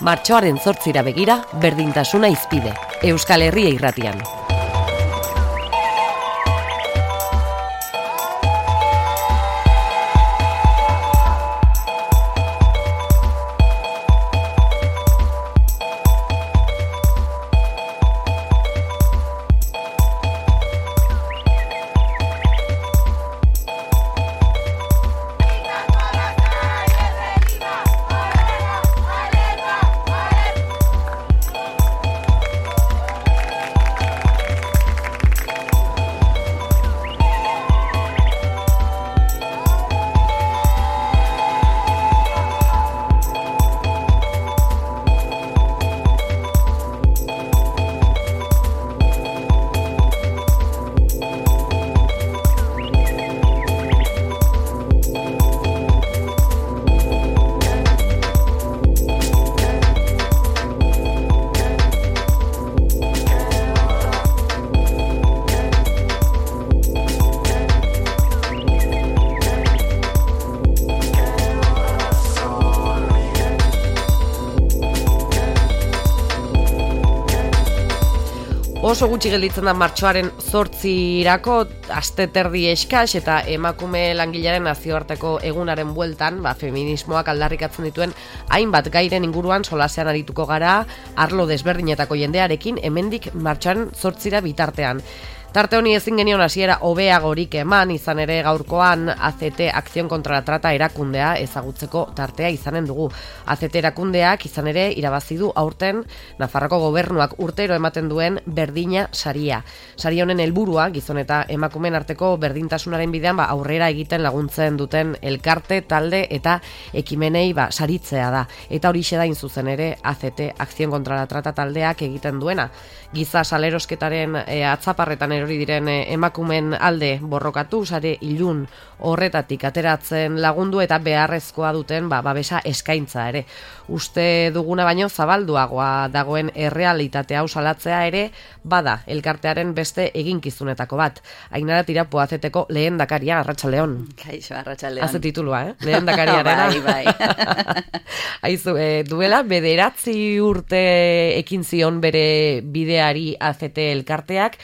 Martxoaren 8 begira, berdintasuna hizpide. Euskal Herria Irratian. Oso gutxi gelditzen da martxoaren 8irako, aste terdi eskas eta emakume langilearen nazioarteko egunaren bueltan, feminismoak aldarrikatzen dituen hainbat gairen inguruan solasean arituko gara, arlo desberdinetako jendearekin, hemendik martxoaren 8 bitartean. Tarte honi ezin genion hasiera hobeagorik eman, izan ere gaurkoan ACT Acción contra la Trata erakundea ezagutzeko tartea izanen dugu. ACT erakundeak izan ere irabazi du aurten Nafarroko gobernuak urtero ematen duen berdina saria. Sari honen helburua gizon eta emakumeen arteko berdintasunaren bidean aurrera egiten laguntzen duten elkarte, talde eta ekimenei saritzea da. Eta horixe da hain zuzen ere ACT Acción contra la Trata taldeak egiten duena. Giza salerosketaren atzaparretan erori diren emakumen alde borrokatu, sare ilun horretatik ateratzen lagundu eta beharrezkoa duten babesa eskaintza ere. Uste duguna baino zabalduagoa dagoen errealitate hau salatzea ere bada elkartearen beste eginkizunetako bat. Ainara Tirapo ACTeko lehendakaria, arratsaldeon. Kaixo, arratsaldeon. Haze titulua, lehendakariarena. Bai. Aizu, duela 9 urte ekin zion bere bideari ACT elkarteak,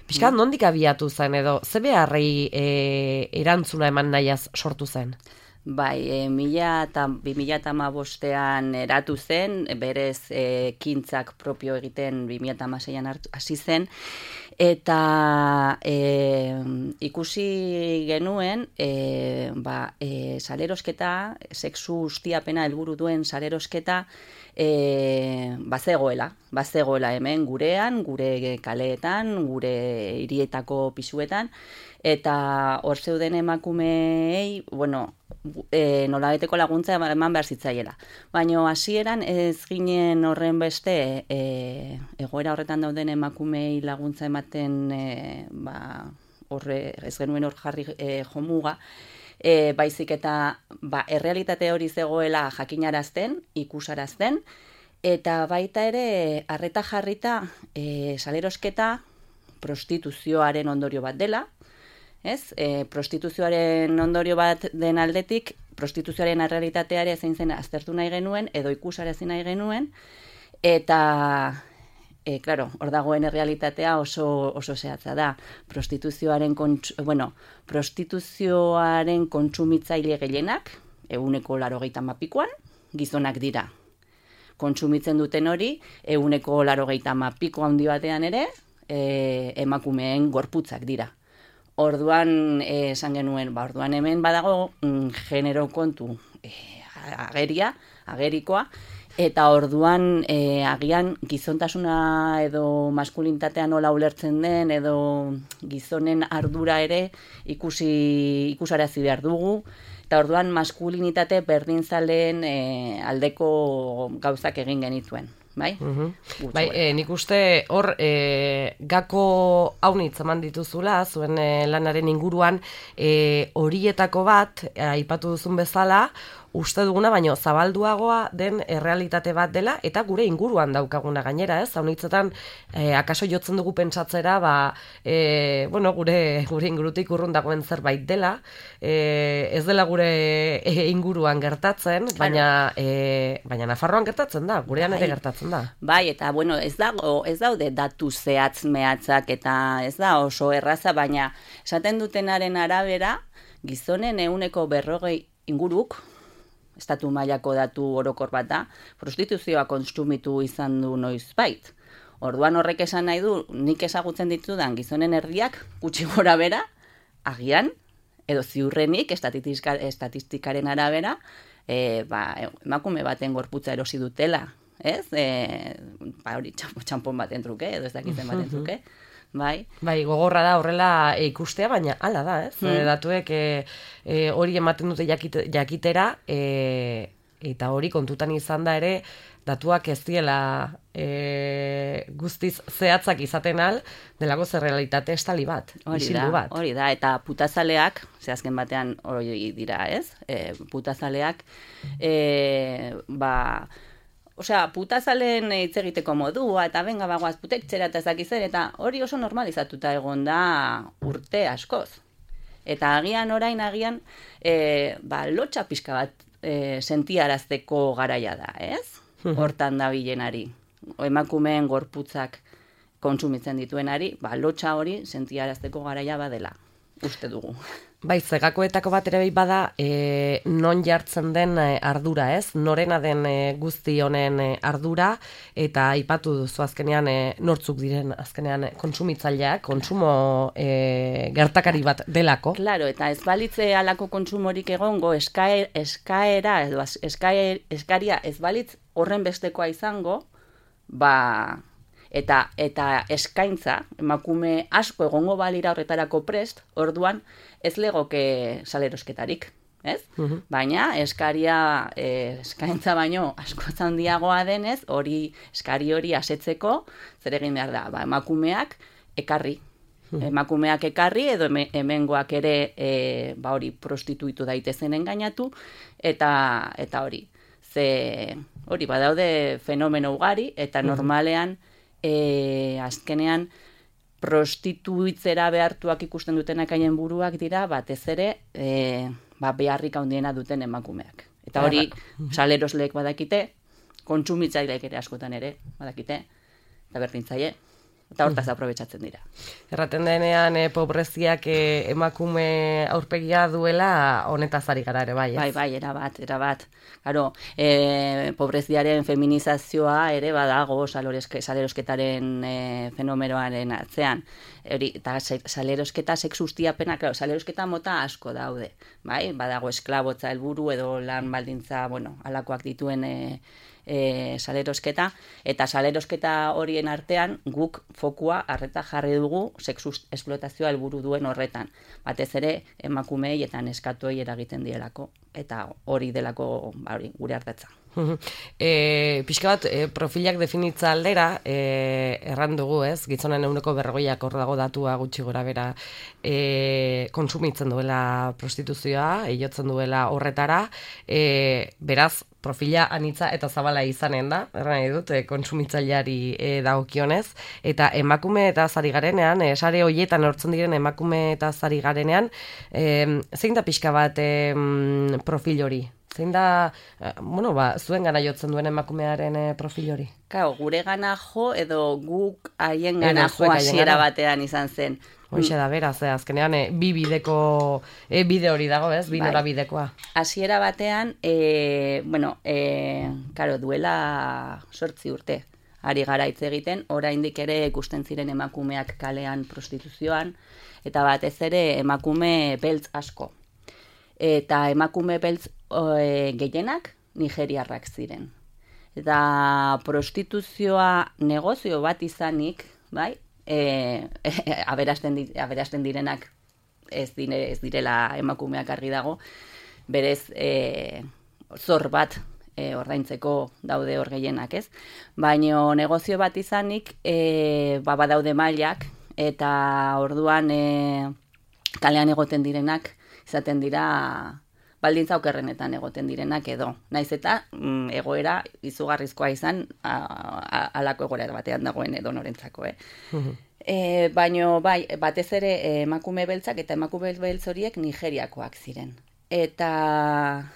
pixkat nondik abiatu zen edo, ze beharrei erantzuna eman nahiaz sortu zen? Bai, 2015an eratu zen, berez ekintzak propio egiten 2016an hasi zen, eta ikusi genuen salerosketa, sexu ustiapena helburu duen salerosketa, bazegoela hemen gurean, gure kaleetan, gure hirietako pisuetan, eta hor zeuden emakumeei, nolabaiteko laguntza eman behar zitzaiela. Baina hasieran ez ginen horren beste egoera horretan dauden emakumeei laguntza ematen ez genuen hor jarri jomuga, baizik eta errealitate hori zegoela jakinarazten, ikusarazten, eta baita ere arreta jarrita salerosketa prostituzioaren ondorio bat dela, prostituzioaren ondorio bat den aldetik, prostituzioaren errealitateare zein zen aztertu nahi genuen, edo ikusarazi nahi genuen, eta hor dagoen errealitatea oso zehatza da. Prostituzioaren kontsumitzaile gehienak, 80%, gizonak dira. Kontsumitzen duten hori, 80% handi batean ere, emakumeen gorputzak dira. Orduan, esan genuen, orduan hemen badago genero kontu agerikoa, eta orduan agian gizontasuna edo maskulinitatea nola ulertzen den, edo gizonen ardura ere ikusarazi behar dugu, eta orduan maskulinitate berdinzaleen aldeko gauzak egin genituen. Bai? Nik uste hor gako haunitz eman dituzula, zuen lanaren inguruan horietako bat, aipatu duzun bezala, uste duguna, baino zabalduagoa den errealitate bat dela, eta gure inguruan daukaguna gainera, ez? Haunitzetan, akaso jotzen dugu pentsatzera, gure ingurutik urrun dagoen zerbait dela, ez dela gure inguruan gertatzen, baina Nafarroan gertatzen da, gurean ere gertatzen da. Bai, eta ez daude datu zehatz mehatzak, eta ez da oso erraza, baina esaten dutenaren arabera, gizonen 40% inguruk, estatu mailako datu orokor bat da, prostituzioa kontsumitu izan du noizbait. Orduan horrek esan nahi du, nik ezagutzen ditudan gizonen erdiak, gutxi gora bera, agian, edo ziurrenik, estatistikaren arabera, emakume baten gorputza erosi dutela, ez? Hori txampon baten truke, edo ez dakitzen baten truke. Bai, gogorra da horrela ikustea, baina hala da, ez? Datuek hori ematen dute jakitera, eta hori kontutan izan da ere, datuak ez diela guztiz zehatzak izaten al, delako zer realitate estali bat, isildu bat. Hori da, eta putazaleak, azken batean hori dira, ez? Putazaleak, putazalen hitz egiteko modua, eta benga bagoaz putektxera eta ezakizer, eta hori oso normalizatuta egon da urte askoz. Eta agian, lotxa pixka bat sentiarazteko garaia da, ez? Hortan da bilenari. Emakumeen gorputzak kontsumitzen dituenari, lotxa hori sentiarazteko garaia badela, uste dugu. Bai, zegakoetako bat ere bada non jartzen den ardura, ez? Norena den guzti honen ardura, eta aipatu duzu azkenean nortzuk diren azkenean kontsumitzaileak, kontsumo gertakari bat delako. Claro, eta ez balitze alako kontsumorik egongo, eskaria ez balitz horren bestekoa izango, eta eskaintza, emakume asko egongo balira horretarako prest, orduan ez legoke salerosketarik, ez? Baina eskaintza baino asko handiagoa denez, eskari hori asetzeko, zer egin behar da, emakumeak ekarri. Emakumeak ekarri edo hemengoak ere hori prostituitu daitezen engainatu, eta hori. Hori badaude fenomeno ugari, eta normalean azkenean prostituitzera behartuak ikusten dutenak haien buruak dira, batez ere beharrik handiena duten emakumeak. Eta hori salerosleek badakite, kontsumitzaileek ere askotan ere badakite, eta berdintzaile, eta hortaz aprobetxatzen dira. Erraten denean pobreziak emakume aurpegia duela, honetaz ari gara ere bai, ez? Bai, erabat. Claro, pobreziaren feminizazioa ere badago salerosketaren fenomenoaren atzean. Eta salerosketa sexustiapena, salerosketa mota asko daude. Bai? Badago esklabotza helburu edo lan baldintza, halakoak dituen salerosketa, eta salerosketa horien artean guk fokua arreta jarri dugu sexu esplotazioa helburu duen horretan. Batez ere emakumeei eta neskatuei eragiten dielako, eta hori delako gure ardatza. Pixka bat, profilak definitza aldera, erran dugu, ez? Gizonen 40% hor dago datua gutxi gora bera kontsumitzen duela prostituzioa, jotzen duela horretara, beraz, profila anitza eta zabala izanen da, erran nahi dut, kontsumitzaileari dagokionez, eta emakume eta zari garenean, sare hoietan hortzen diren emakume eta zari garenean, zein da pixka bat profil hori? Zein da, zuen gana jotzen duen emakumearen profil hori? Gure gana jo edo guk haien gana jo hasiera batean izan zen. Hoxe da, beraz, azkenean bi bideko bide hori dago, ez? Bi nora bidekoa. Hasiera batean, duela 8 urte ari gara hitz egiten, oraindik ere ikusten ziren emakumeak kalean prostituzioan, eta batez ere emakume beltz asko. Eta emakume beltz gehienak nigeriarrak ziren. Eta prostituzioa negozio bat izanik, bai, aberasten direnak ez direla emakumeak argi dago, berez zor bat ordaintzeko daude hor gehienak, ez? Baina negozio bat izanik badaude mailak, eta orduan kalean egoten direnak izaten dira baldintza okerrenetan egoten direnak edo. Naiz eta egoera izugarrizkoa izan alako egoera batean dagoen edo norentzako, baino bai, batez ere emakume beltzak eta emakume beltz horiek Nigeriakoak ziren. Eta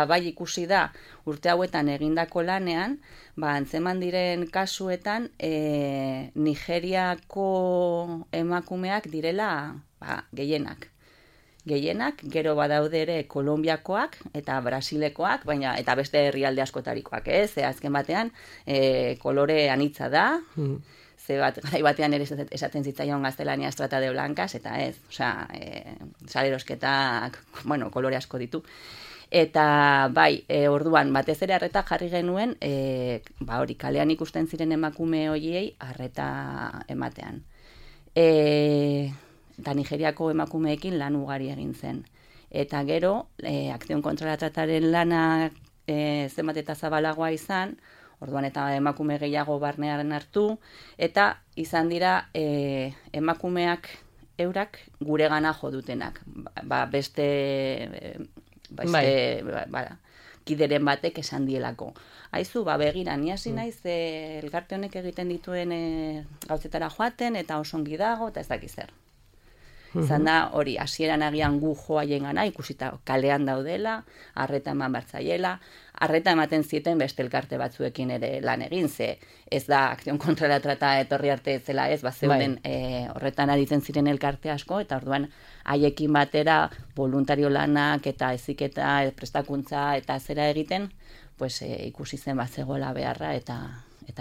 bai ikusi da urte hauetan egindako lanean, antzeman diren kasuetan Nigeriako emakumeak direla gehienak. Gehienak, gero badaude ere Kolonbiakoak eta Brasilekoak, baina eta beste herrialde askotarikoak, ze azken batean kolore anitza da, ze garai batean ere esaten zitzaion gaztelaniaz trata de blancas, eta ez, salerosketak, kolore asko ditu. Eta bai, orduan batez ere arreta jarri genuen, hori kalean ikusten ziren emakume horiei arreta ematean. Eta Nigeriako emakumeekin lan ugari egin zen. Eta gero, Akzion kontra la trataren lana zenbat eta zabalagoa izan, orduan eta emakume gehiago barnearen hartu, eta izan dira emakumeak eurak guregana jo dutenak. Kideren batek esan dielako. Aizu, begira, ni hasi naiz elkarte honek egiten dituen gauzetara joaten, eta oso ongi dago, eta ez dakiz zer. Izan da, hori, hasieran agian gu joaien gana, ikusita kalean daudela, arreta eman bartzaiela, arreta ematen zieten beste elkarte batzuekin ere lan egin, ze ez da Akzion kontra la trata etorri arte zela ez, zeuden horretan aritzen ziren elkarte asko, eta orduan haiekin batera voluntario lanak eta heziketa, prestakuntza eta zera egiten, ikusi zen zegoela beharra eta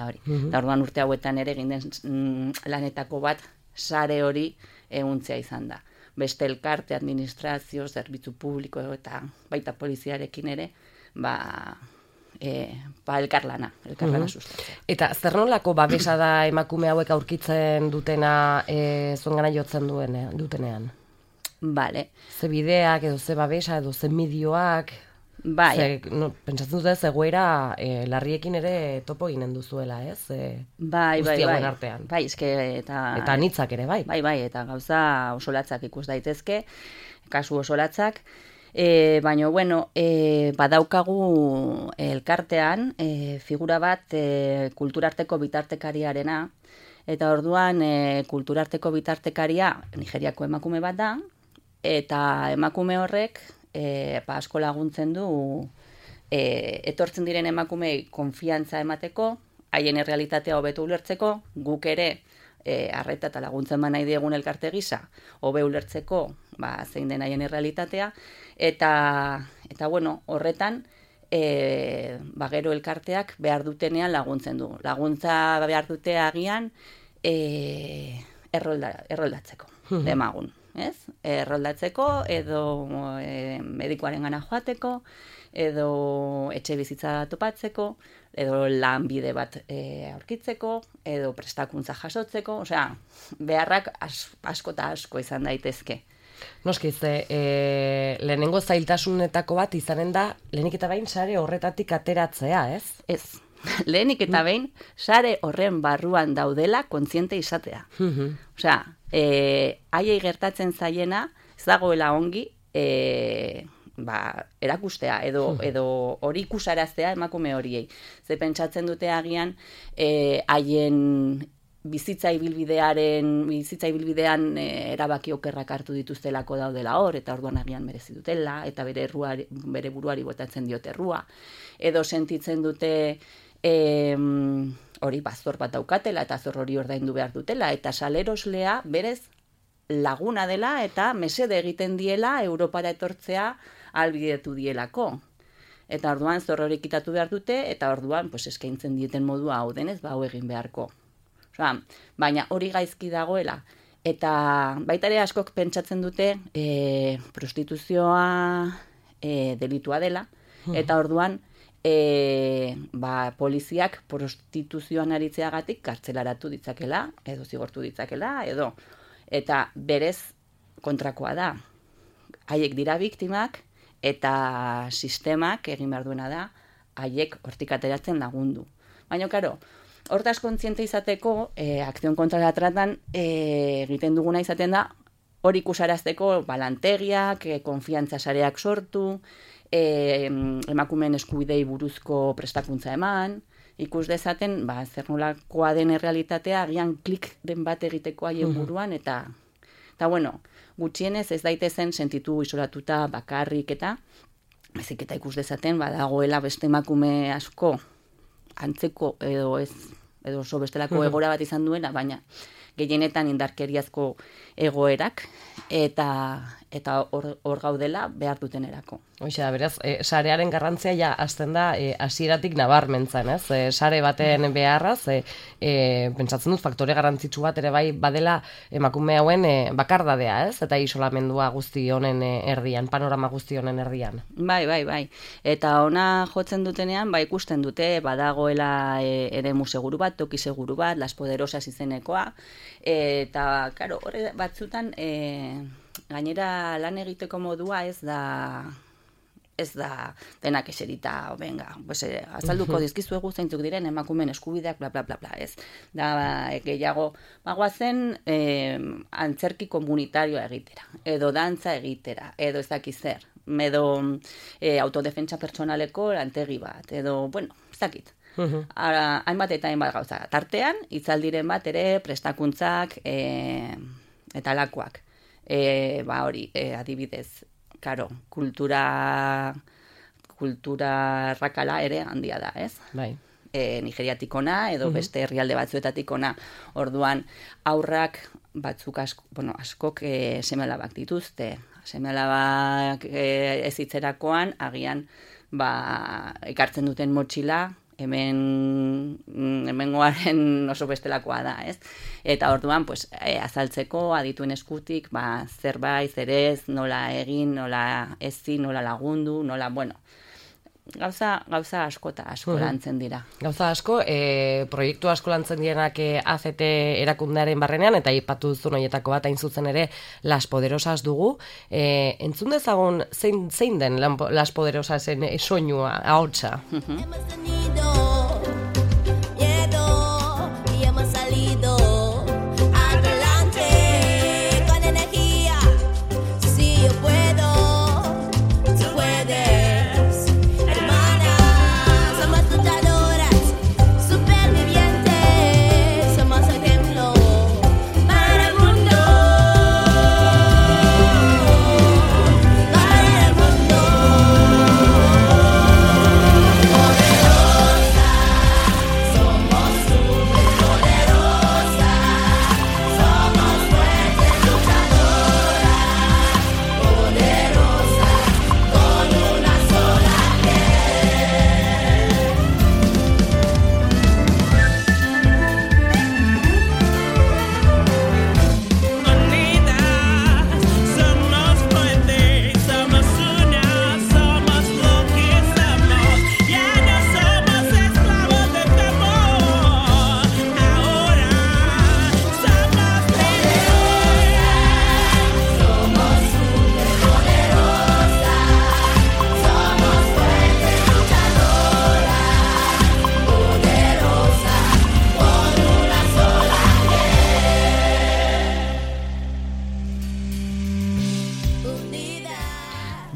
hori. Eta orduan urte hauetan ere egin den lanetako bat sare hori ehuntzea izan da. Beste elkarte, administrazio, zerbitzu publiko eta baita poliziarekin ere, elkarlana sustatzea. Eta zer nolako babesa da emakume hauek aurkitzen dutena zuengana jotzen dutenean? Bale. Ze bideak, edo ze babesa, edo ze medioak... Bai. Pentsatzen dute zegoera larriekin ere topo ginen duzuela, ez? Bai. Artean. Bai, eta anitzak ere, bai. Bai, eta gauza osolatzak ikus daitezke, kasu osolatzak. Baina, badaukagu elkartean figura bat kulturarteko bitartekariarena, eta orduan kulturarteko bitartekaria Nigeriako emakume bat da, eta emakume horrek asko laguntzen du etortzen diren emakumei konfiantza emateko, haien errealitatea hobeto ulertzeko, guk ere arreta eta laguntzen nahi diegun elkarte gisa, hobe ulertzeko zein den haien errealitatea, eta horretan gero elkarteak behar dutenean laguntzen du. Laguntza behar dute agian erroldatzeko, demagun. Erroldatzeko, edo medikuaren gana joateko, edo etxe bizitza topatzeko, edo lanbide bat aurkitzeko, edo prestakuntza jasotzeko, beharrak asko eta asko izan daitezke. Noski, lehenengo zailtasunetako bat izanen da, lehenik eta bain sare horretatik ateratzea, ez? Ez. Lehenik eta behin, sare horren barruan daudela kontziente izatea. Haiei gertatzen zaiena, ez dagoela ongi, erakustea, edo hori ikusaraztea emakume horiei. Ze pentsatzen dute agian, haien bizitza ibilbidean erabaki okerrak hartu dituztelako daudela hor, eta orduan agian merezi dutela, eta bere buruari botatzen diote errua, edo sentitzen dute hori zor bat daukatela, eta zor hori ordaindu behar dutela, eta saleroslea berez laguna dela, eta mesede egiten diela Europara etortzea albidetu dielako. Eta orduan zor hori kitatu behar dute, eta orduan eskaintzen dieten modua hau denez, hau egin beharko. Baina hori gaizki dagoela. Eta baita ere askok pentsatzen dute prostituzioa delitua dela, eta orduan poliziak prostituzioan aritzeagatik kartzelaratu ditzakela, edo zigortu ditzakela, eta berez kontrakoa da. Haiek dira biktimak, eta sistemak egin behar duena da, haiek hortik ateratzen lagundu. Baina, karo, hortaz kontziente izateko, Akzion kontra la tratan egiten duguna izaten da, hori ikusarazteko lantegiak, konfiantza sareak sortu, emakumeen eskubidei buruzko prestakuntza eman, ikus dezaten, zer nolakoa den errealitatea, agian klik den bat egiteko haien buruan, eta bueno, gutxienez ez daitezen sentitu isolatuta bakarrik eta ikus dezaten, badagoela beste emakume asko antzeko edo oso bestelako egora bat izan duena, baina gehienetan indarkeriazko egoerak, eta hor gaudela behar dutenerako. Hoxe da, beraz, sarearen garrantzia ja azten da hasieratik nabarmentzen, ez? Sare baten beharraz, pentsatzen dut faktore garrantzitsu bat ere bai badela emakume hauen bakardadea, ez? Eta isolamendua guzti honen erdian, panorama guzti honen erdian. Bai. Eta ona jotzen dutenean, ikusten dute, badagoela eremu seguru bat, toki seguru bat, Las Poderosas izenekoa, eta, karo, horre batzutan, gainera lan egiteko modua ez da denak eserita, azalduko dizkizuegu zeintzuk diren emakumeen eskubideak, bla, bla, bla, bla, ez. Da, gehiago, bagoazen antzerki komunitarioa egitera, edo dantza egitera, edo ez dakiz zer, edo autodefentsa pertsonaleko lantegi bat, edo, ez dakit. Hainbat eta hainbat gauza. Tartean, hitzaldiren bat ere prestakuntzak eta alakoak. Hori, adibidez, karo, kultura rakala ere handia da, ez? Bai. Nigeriatik ona, edo beste herrialde batzuetatik ona. Orduan, aurrak batzuk askok seme-alabak dituzte. Seme-alabak ez hitzerakoan, agian, ekartzen duten motxila, hemengoaren oso bestelakoa da, ez? Eta orduan, azaltzeko adituen eskutik, zerbait, zerez, nola egin, nola ezin, nola lagundu, nola, gauza asko eta asko lantzen dira. Gauza asko, proiektu asko lantzen direnak ACT erakundearen barrenean, eta aipatu duzun horietako bat hain zuzen ere Las Poderosas dugu. Entzun dezagun zein den Las Poderosasen soinua, ahotsa?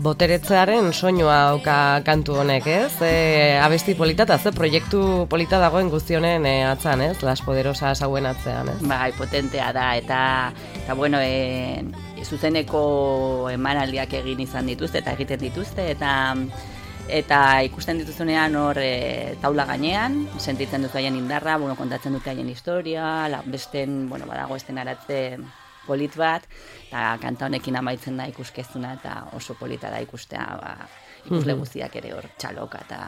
Boteretzearen soinua dauka kantu honek, ez? Abesti polita eta proiektu polita dagoen guztionen atzan, ez? Las Poderosas hauen atzean, ez? Bai, potentea da, eta zuzeneko emanaldiak egin izan dituzte, eta egiten dituzte, eta ikusten dituzunean hor taula gainean, sentitzen dut haien indarra, kontatzen dute haien historia, besten, badago estenaratze polit bat, eta kanta honekin amaitzen da ikuskezuna, eta oso polita da ikustea, ikusle guztiak ere hor txaloka, eta...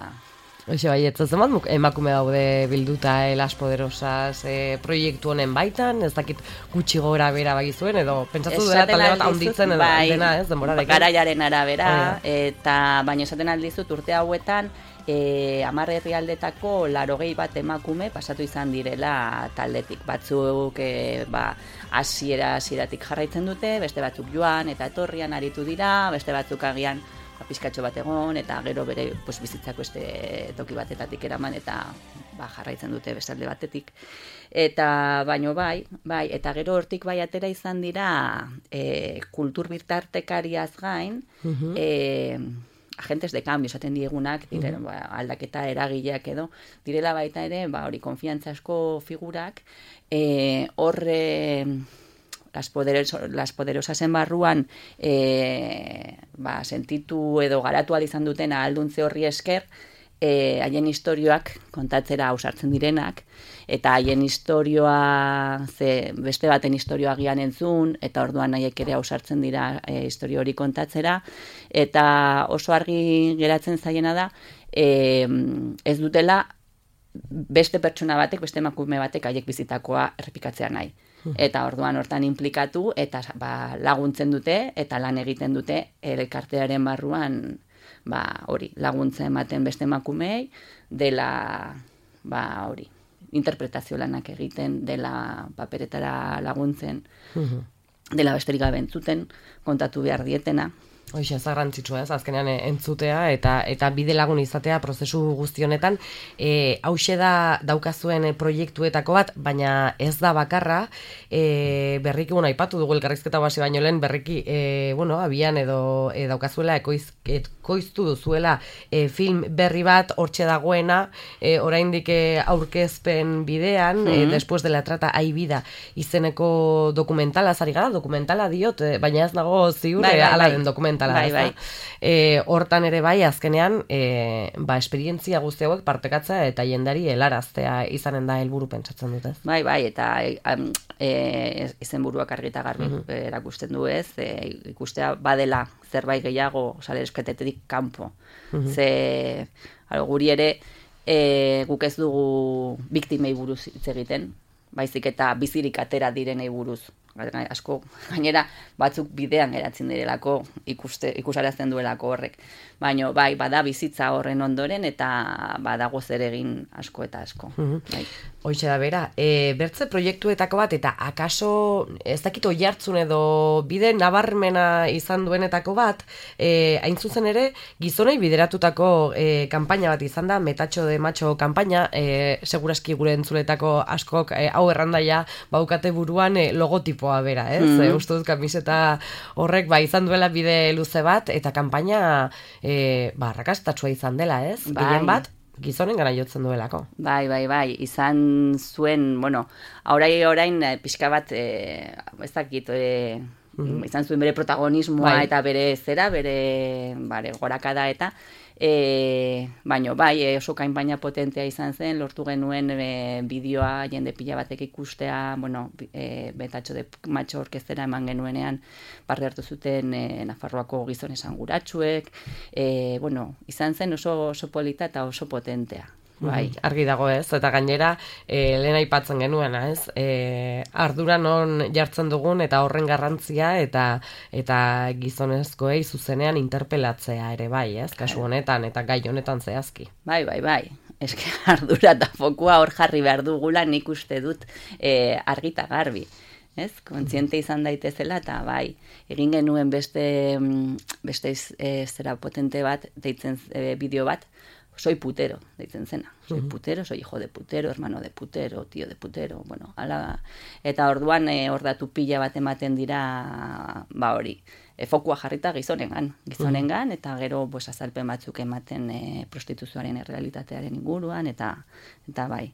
Oixe, bai, ez zenbat emakume daude bilduta Las Poderosas proiektu honen baitan, ez dakit gutxi gora bera bagizuen, edo pentsatu dela talde bat haunditzen edo dena, ez, denborarekin. Garaiaren arabera, eta baina esaten aldizut urte hauetan, 10 herrialdetako 80 emakume pasatu izan direla taldetik. Batzuk hasieratik jarraitzen dute, beste batzuk joan eta etorrian aritu dira, beste batzuk agian pizkatxo bat egon, eta gero bere bizitzako beste toki batetatik eraman, eta jarraitzen dute bestalde batetik. Eta, baino bai, eta gero hortik bai atera izan dira kultur bitartekariaz gain, agentes de cambio esaten diegunak, aldaketa eragileak edo, direla baita ere, hori konfiantzasko figurak, horre las poderosasen barruan sentitu edo garatu izan duten ahalduntze horri esker, haien historioak kontatzera ausartzen direnak, eta haien historioa, beste baten historioa gian entzun, eta orduan haiek ere ausartzen dira historio hori kontatzera, eta oso argi geratzen zaiena da, ez dutela beste pertsona batek, beste emakume batek haiek bizitakoa errepikatzea nahi. Eta orduan hortan implikatu, eta laguntzen dute, eta lan egiten dute elkartearen barruan, hori, laguntza ematen beste emakumei, dela, hori, interpretazio lanak egiten, dela paperetara laguntzen, dela besterik gabe entzuten, kontatu behar dietena. Hoxe, garrantzitsua ez, azkenean entzutea eta bide lagun izatea prozesu guzti honetan. Hauxe da daukazuen proiektuetako bat, baina ez da bakarra, berriki, aipatu dugu elkarrizketa hasi baino lehen, berriki, abian edo daukazuela ekoiztu duzuela film berri bat, hortxe dagoena, oraindik aurkezpen bidean, después de la trata hay vida izeneko dokumentala, zari gara, dokumentala diot, baina ez nago ziur, ala den dokumentala. Hortan ere bai, azkenean, esperientzia guzti hauek partekatza eta jendari helaraztea izanen da helburu pentsatzen dut, ez? Bai, eta izenburuak argi eta garbi erakusten du, ez? Ikustea badela zerbait gehiago saleresketetik kanpo. Ze, guri ere, guk ez dugu biktimei buruz hitz egiten, baizik eta bizirik atera direnei buruz. Asko, gainera, batzuk bidean geratzen direlako, ikusarazten duelako horrek. Baina, bada bizitza horren ondoren, eta badago zer egin asko eta asko. Hoxe da bera, bertze proiektuetako bat, eta akaso, ez dakit oihartzun edo bide nabarmena izan duenetako bat, hain zuzen ere, gizonei bideratutako kanpaina bat izan da, metatxo de macho kanpaina, seguraski gure entzuletako askok hau errandaia baukate buruan logotipoa bera, ez? Uste dut kamiseta horrek izan duela bide luze bat, eta kanpaina arrakastatsua izan dela, ez? Gehien bat, gizonen gara jotzen duelako. Bai, izan zuen, orain pixka bat, ez dakit, izan zuen bere protagonismoa eta bere zera, bere gorakada eta, baina oso kanpaina potentea izan zen, lortu genuen bideoa jende pila batek ikustea, betatxo de matxo orkestera eman genuenean parte hartu zuten Nafarroako gizon esanguratsuek, izan zen oso polita eta oso potentea. Argi dago ez, eta gainera lehen aipatzen genuena ez, ardura non jartzen dugun eta horren garrantzia eta gizonezkoei zuzenean interpelatzea ere bai ez, kasu honetan eta gai honetan zehazki. Bai, eske ardura eta fokua hor jarri behar dugula nik uste dut argita garbi. Ez, kontziente izan daitezela eta egin genuen beste zera potente bat, deitzen bideo bat, soy putero, deitzen zena. Soy putero, soy hijo de putero, hermano de putero, tío de putero, ala. Eta orduan hor datu pila bat ematen dira, hori, fokua jarrita gizonengan, eta gero azalpen batzuk ematen prostituzioaren errealitatearen inguruan, eta bai.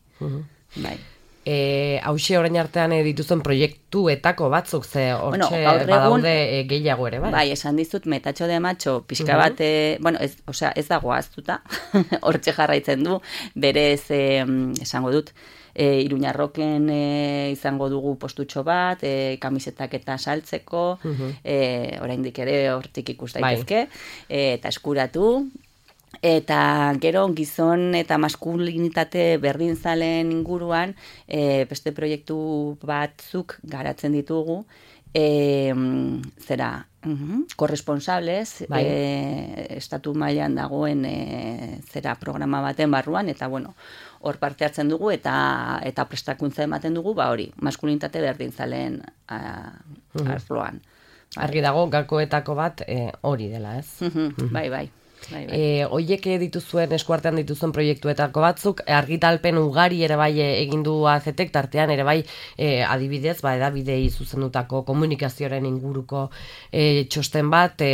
Hauxe orain artean dituzuen proiektuetako batzuk, ze hortxe badaude gehiago ere, bai? Bai, esan dizut, metatxo de macho, pixka bat, ez dago aztuta, hortxe jarraitzen du, berez, esango dut, Iruñarroken izango dugu postutxo bat, kamisetak eta saltzeko, oraindik ere hortik ikus daitezke, eta eskuratu, eta gero gizon eta maskulinitate berdinzaleen inguruan beste proiektu batzuk garatzen ditugu, korresponsables, estatu mailan dagoen programa baten barruan, eta hor parte hartzen dugu eta prestakuntza ematen dugu, hori, maskulinitate berdintzaleen arloan. Argi dago, gakoetako bat hori dela, ez? Bai. Oiek dituzuen, eskuartean dituzuen proiektuetako batzuk, argitalpen ugari ere bai egin du AZTek, tartean ere bai adibidez, edabidei zuzendutako komunikazioaren inguruko txosten bat,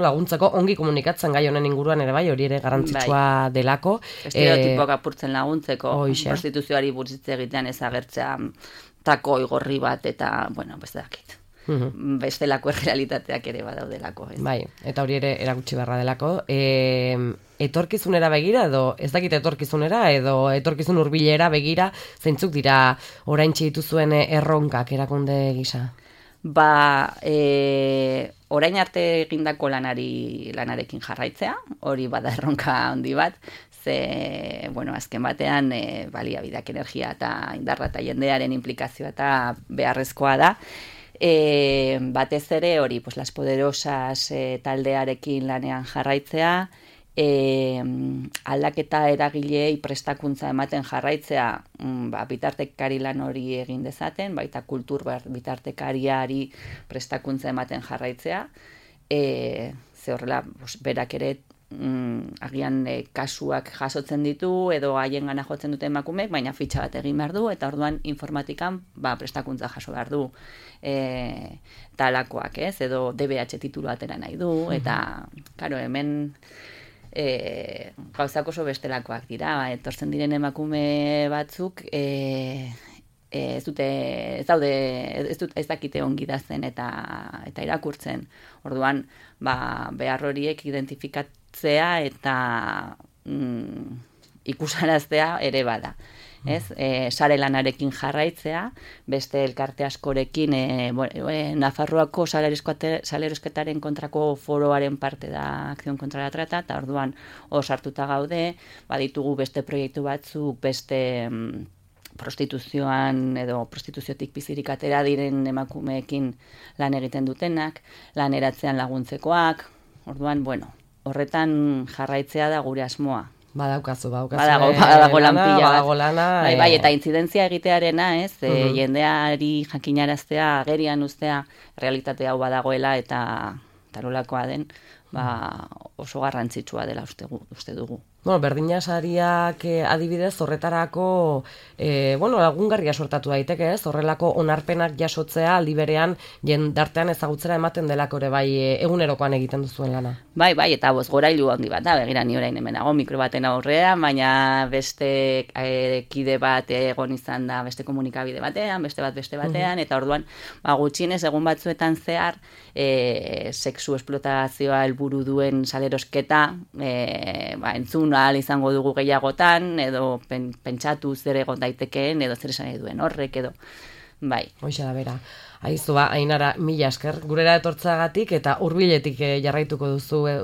laguntzeko ongi komunikatzen gai honen inguruan ere bai, hori ere garrantzitsua delako. Estereotipoak apurtzen laguntzeko, prostituzioari buruz hitz egitean ez agertzea tako igorri bat eta, beste dakit. Bestelako errealitateak ere badaudelako. Bai, eta hori ere erakutsi beharra delako. Etorkizunera begira edo ez dakit etorkizunera edo etorkizun hurbilera begira zeintzuk dira oraintxe dituzuen erronkak erakunde gisa? Orain arte egindako lanarekin jarraitzea, hori bada erronka handi bat, azken batean baliabideak, energia eta indarra eta jendearen implikazioa eta beharrezkoa da. Batez ere hori, Las Poderosas taldearekin lanean jarraitzea, aldaketa eragilei prestakuntza ematen jarraitzea, bitartekari lan hori egin dezaten, baita kultur bitartekariari prestakuntza ematen jarraitzea, ze horrela berak ere agian kasuak jasotzen ditu edo haien gana jotzen dute emakumeek, baina fitxa bat egin behar du, eta orduan informatikan prestakuntza jaso behar du talakoak, ez? Edo DBH titulu atera nahi du, eta karo, hemen gauzak oso bestelakoak dira, etortzen diren emakume batzuk ez dakite ongi dazen eta irakurtzen. Orduan, behar horiek identifikatzea eta ikusaraztea ere bada. Sare lanarekin jarraitzea, beste elkarte askorekin, Nafarroako salerosketaren kontrako foroaren parte da Akzion kontra la Trata, eta orduan sartuta gaude, baditugu beste proiektu batzuk, beste prostituzioan edo prostituziotik bizirik atera diren emakumeekin lan egiten dutenak, laneratzean laguntzekoak, orduan, horretan jarraitzea da gure asmoa. Badago lanpila bat. Eta intzidentzia egitearena, jendeari jakinaraztea, agerian uztea, realitate hau badagoela eta nolakoa den, oso garrantzitsua dela uste dugu. Berdina sariak adibidez horretarako lagungarria sortatu daiteke, ez? Horrelako onarpenak jasotzea aldi berean jendartean ezagutzera ematen delako ere bai egunerokoan egiten duzuen lana. Bai, eta bozgorailu handi bat da, begira ni orain hemenago mikro baten aurrean, baina beste kide bat egon izan da beste komunikabide batean, beste batean, eta orduan gutxienez egun batzuetan zehar sexu esplotazioa helburu duen salerosketa entzun ahal izango dugu gehiagotan, edo pentsatu zer egon daitekeen, edo zer esan nahi duen horrek, edo bai. Hoixe da bera. Aizu Ainara, mila esker, gurera etortzagatik eta hurbiletik jarraituko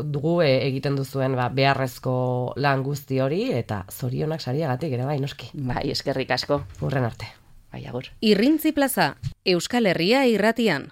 dugu egiten duzuen beharrezko lan guzti hori, eta zorionak sariagatik ere bai, noski. Bai, eskerrik asko. Hurren arte. Bai, agur. Irrintzi Plaza, Euskal Herria irratian.